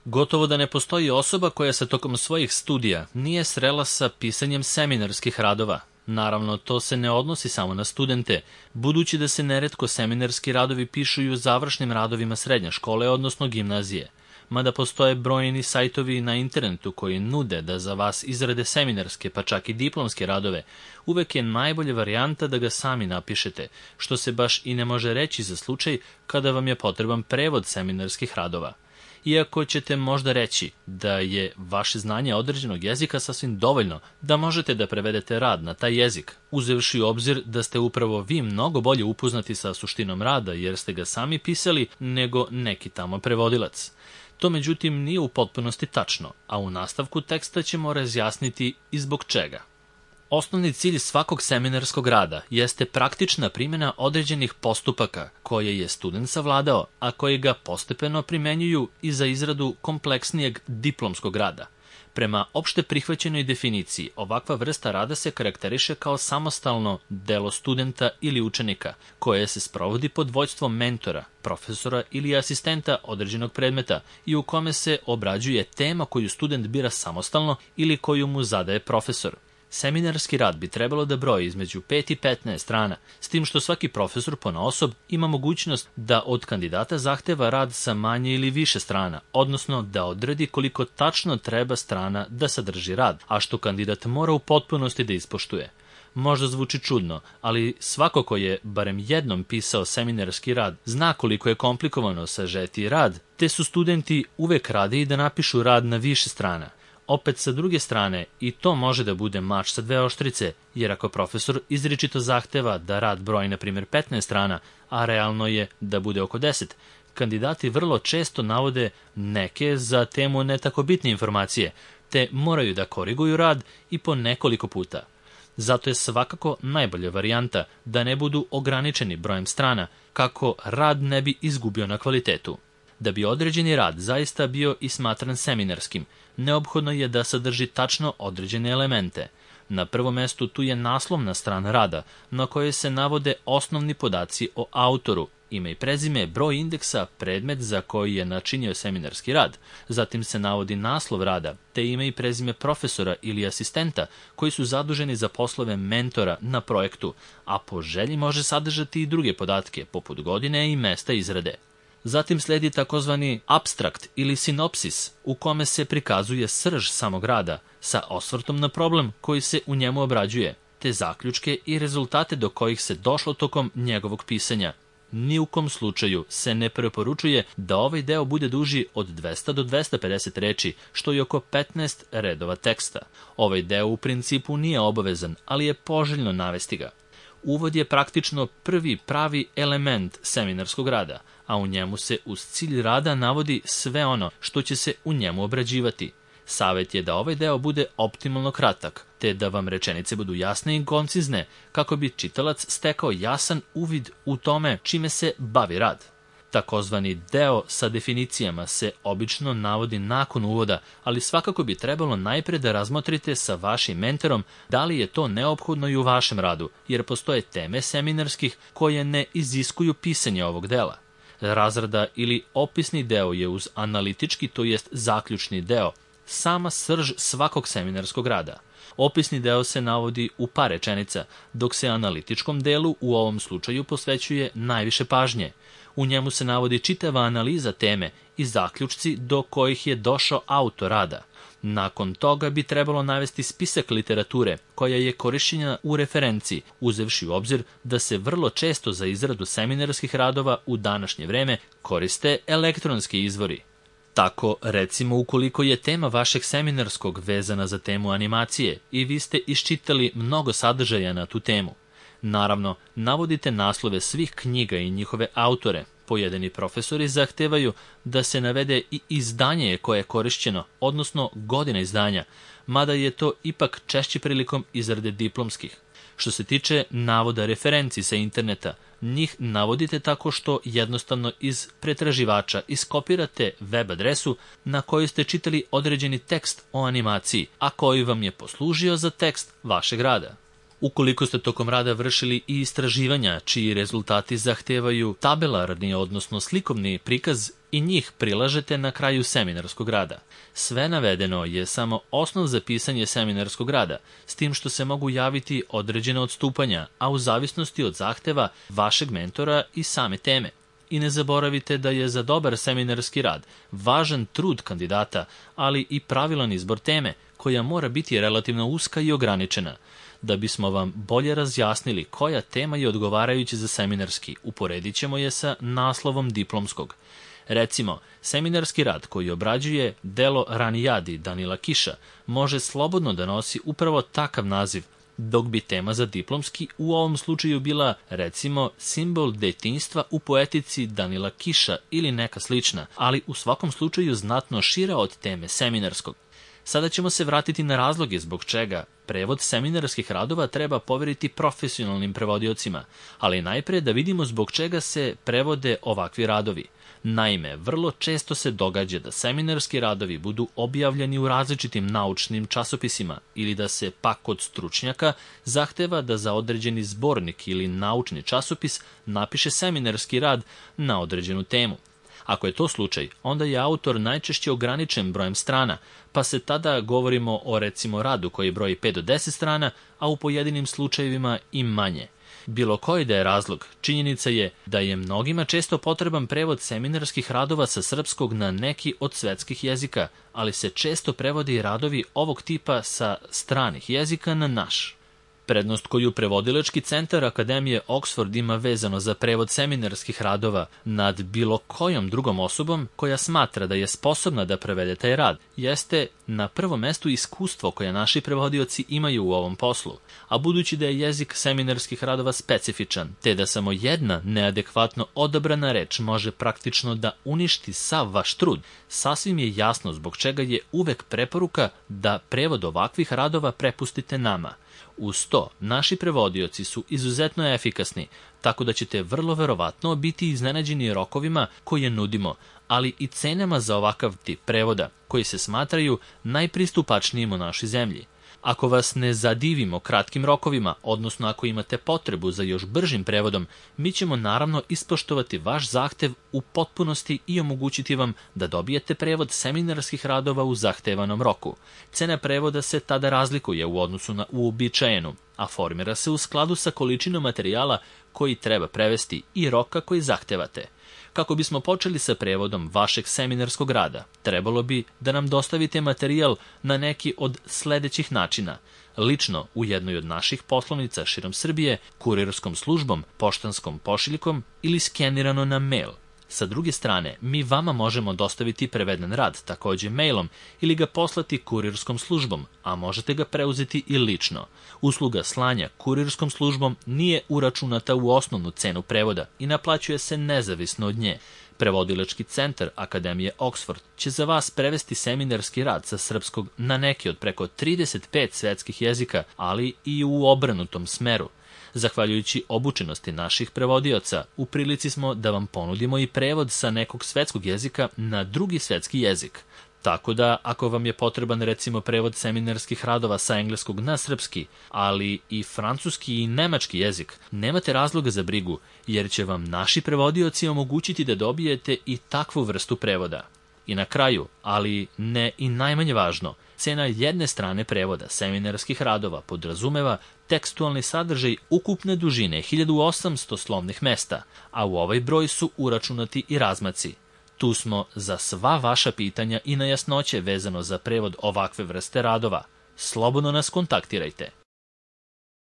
Gotovo da ne postoji osoba koja se tokom svojih studija nije srela sa pisanjem seminarskih radova. Naravno, to se ne odnosi samo na studente, budući da se neretko seminarski radovi pišu i u završnim radovima srednje škole, odnosno gimnazije. Mada postoje brojni sajtovi na internetu koji nude da za vas izrade seminarske, pa čak i diplomske radove, uvek je najbolja varijanta da ga sami napišete, što se baš i ne može reći za slučaj kada vam je potreban prevod seminarskih radova. Iako ćete možda reći da je vaše znanje određenog jezika sasvim dovoljno da možete da prevedete rad na taj jezik, uzevši u obzir da ste upravo vi mnogo bolje upoznati sa suštinom rada jer ste ga sami pisali nego neki tamo prevodilac. To međutim nije u potpunosti tačno, a u nastavku teksta ćemo razjasniti i zbog čega. Osnovni cilj svakog seminarskog rada jeste praktična primjena određenih postupaka koje je student savladao, a koji ga postepeno primenjuju i za izradu kompleksnijeg diplomskog rada. Prema opšte prihvaćenoj definiciji, ovakva vrsta rada se karakteriše kao samostalno delo studenta ili učenika, koje se sprovodi pod vođstvom mentora, profesora ili asistenta određenog predmeta i u kome se obrađuje tema koju student bira samostalno ili koju mu zadaje profesor. Seminarski rad bi trebalo da broji između 5 i 15 strana, s tim što svaki profesor ponaosob ima mogućnost da od kandidata zahteva rad sa manje ili više strana, odnosno da odredi koliko tačno treba strana da sadrži rad, a što kandidat mora u potpunosti da ispoštuje. Možda zvuči čudno, ali svako ko je barem jednom pisao seminarski rad zna koliko je komplikovano sažeti rad, te su studenti uvek radiji da napišu rad na više strana. Opet sa druge strane, i to može da bude mač sa dve oštrice, jer ako profesor izričito zahteva da rad broji na primjer 15 strana, a realno je da bude oko 10, kandidati vrlo često navode neke za temu ne tako bitne informacije, te moraju da koriguju rad i po nekoliko puta. Zato je svakako najbolja varijanta da ne budu ograničeni brojem strana, kako rad ne bi izgubio na kvalitetu. Da bi određeni rad zaista bio i smatran seminarskim, neophodno je da sadrži tačno određene elemente. Na prvom mestu tu je naslovna strana rada, na kojoj se navode osnovni podaci o autoru, ime i prezime, broj indeksa, predmet za koji je načinio seminarski rad. Zatim se navodi naslov rada, te ime i prezime profesora ili asistenta koji su zaduženi za poslove mentora na projektu, a po želji može sadržati i druge podatke, poput godine i mesta izrade. Zatim sledi takozvani apstrakt ili sinopsis, u kome se prikazuje srž samog rada, sa osvrtom na problem koji se u njemu obrađuje, te zaključke i rezultate do kojih se došlo tokom njegovog pisanja. Ni u kom slučaju se ne preporučuje da ovaj deo bude duži od 200 do 250 reči, što je oko 15 redova teksta. Ovaj deo u principu nije obavezan, ali je poželjno navesti ga. Uvod je praktično prvi pravi element seminarskog rada, a u njemu se uz cilj rada navodi sve ono što će se u njemu obrađivati. Savet je da ovaj deo bude optimalno kratak, te da vam rečenice budu jasne i koncizne, kako bi čitalac stekao jasan uvid u tome čime se bavi rad. Takozvani deo sa definicijama se obično navodi nakon uvoda, ali svakako bi trebalo najpre da razmotrite sa vašim mentorom da li je to neophodno i u vašem radu, jer postoje teme seminarskih koje ne iziskuju pisanje ovog dela. Razrada ili opisni deo je uz analitički, to jest zaključni deo, sama srž svakog seminarskog rada. Opisni deo se navodi u par rečenica, dok se analitičkom delu u ovom slučaju posvećuje najviše pažnje. U njemu se navodi čitava analiza teme i zaključci do kojih je došao autor rada. Nakon toga bi trebalo navesti spisak literature koja je korišćena u referenciji, uzevši u obzir da se vrlo često za izradu seminarskih radova u današnje vreme koriste elektronski izvori. Tako, recimo, ukoliko je tema vašeg seminarskog vezana za temu animacije i vi ste iščitali mnogo sadržaja na tu temu, naravno, navodite naslove svih knjiga i njihove autore. Pojedini profesori zahtevaju da se navede i izdanje koje je korišćeno, odnosno godina izdanja, mada je to ipak češće prilikom izrade diplomskih. Što se tiče navoda referenci sa interneta, njih navodite tako što jednostavno iz pretraživača iskopirate web adresu na kojoj ste čitali određeni tekst o animaciji, a koji vam je poslužio za tekst vašeg rada. Ukoliko ste tokom rada vršili i istraživanja čiji rezultati zahtevaju tabelarni, odnosno slikovni prikaz, i njih prilažete na kraju seminarskog rada. Sve navedeno je samo osnov za pisanje seminarskog rada, s tim što se mogu javiti određene odstupanja, a u zavisnosti od zahteva vašeg mentora i same teme. I ne zaboravite da je za dobar seminarski rad važan trud kandidata, ali i pravilan izbor teme, koja mora biti relativno uska i ograničena. Da bismo vam bolje razjasnili koja tema je odgovarajuća za seminarski, uporedit ćemo je sa naslovom diplomskog. Recimo, seminarski rad koji obrađuje delo Ranijadi Danila Kiša može slobodno da nosi upravo takav naziv, dok bi tema za diplomski u ovom slučaju bila, recimo, simbol detinjstva u poetici Danila Kiša ili neka slična, ali u svakom slučaju znatno šira od teme seminarskog. Sada ćemo se vratiti na razloge zbog čega prevod seminarskih radova treba poveriti profesionalnim prevodiocima, ali najpre da vidimo zbog čega se prevode ovakvi radovi. Naime, vrlo često se događa da seminarski radovi budu objavljeni u različitim naučnim časopisima ili da se pak od stručnjaka zahteva da za određeni zbornik ili naučni časopis napiše seminarski rad na određenu temu. Ako je to slučaj, onda je autor najčešće ograničen brojem strana, pa se tada govorimo o recimo radu koji broji 5 do 10 strana, a u pojedinim slučajevima i manje. Bilo koji da je razlog, činjenica je da je mnogima često potreban prevod seminarskih radova sa srpskog na neki od svetskih jezika, ali se često prevode i radovi ovog tipa sa stranih jezika na naš. Prednost koju prevodilački centar Akademije Oxford ima vezano za prevod seminarskih radova nad bilo kojom drugom osobom koja smatra da je sposobna da prevede taj rad, jeste na prvom mestu iskustvo koje naši prevodioci imaju u ovom poslu, a budući da je jezik seminarskih radova specifičan, te da samo jedna neadekvatno odabrana reč može praktično da uništi sav vaš trud, sasvim je jasno zbog čega je uvek preporuka da prevod ovakvih radova prepustite nama. Uz to, naši prevodioci su izuzetno efikasni, tako da ćete vrlo verovatno biti iznenađeni rokovima koje nudimo, ali i cenama za ovakav tip prevoda, koji se smatraju najpristupačnijim u našoj zemlji. Ako vas ne zadivimo kratkim rokovima, odnosno ako imate potrebu za još bržim prevodom, mi ćemo naravno ispoštovati vaš zahtev u potpunosti i omogućiti vam da dobijete prevod seminarskih radova u zahtevanom roku. Cena prevoda se tada razlikuje u odnosu na uobičajenu, a formira se u skladu sa količinom materijala koji treba prevesti i roka koji zahtevate. Kako bismo počeli sa prevodom vašeg seminarskog rada, trebalo bi da nam dostavite materijal na neki od sledećih načina. Lično u jednoj od naših poslovnica širom Srbije, kurirskom službom, poštanskom pošiljkom ili skenirano na mail. Sa druge strane, mi vama možemo dostaviti preveden rad, takođe mailom, ili ga poslati kurirskom službom, a možete ga preuzeti i lično. Usluga slanja kurirskom službom nije uračunata u osnovnu cenu prevoda i naplaćuje se nezavisno od nje. Prevodilački centar Akademije Oxford će za vas prevesti seminarski rad sa srpskog na neki od preko 35 svetskih jezika, ali i u obrnutom smeru. Zahvaljujući obučenosti naših prevodioca, u prilici smo da vam ponudimo i prevod sa nekog svetskog jezika na drugi svetski jezik. Tako da, ako vam je potreban recimo prevod seminarskih radova sa engleskog na srpski, ali i francuski i nemački jezik, nemate razloga za brigu, jer će vam naši prevodioci omogućiti da dobijete i takvu vrstu prevoda. I na kraju, ali ne i najmanje važno, cena jedne strane prevoda seminarskih radova podrazumeva tekstualni sadržaj ukupne dužine 1800 slovnih mesta, a u ovaj broj su uračunati i razmaci. Tu smo za sva vaša pitanja i nejasnoće vezano za prevod ovakve vrste radova. Slobodno nas kontaktirajte.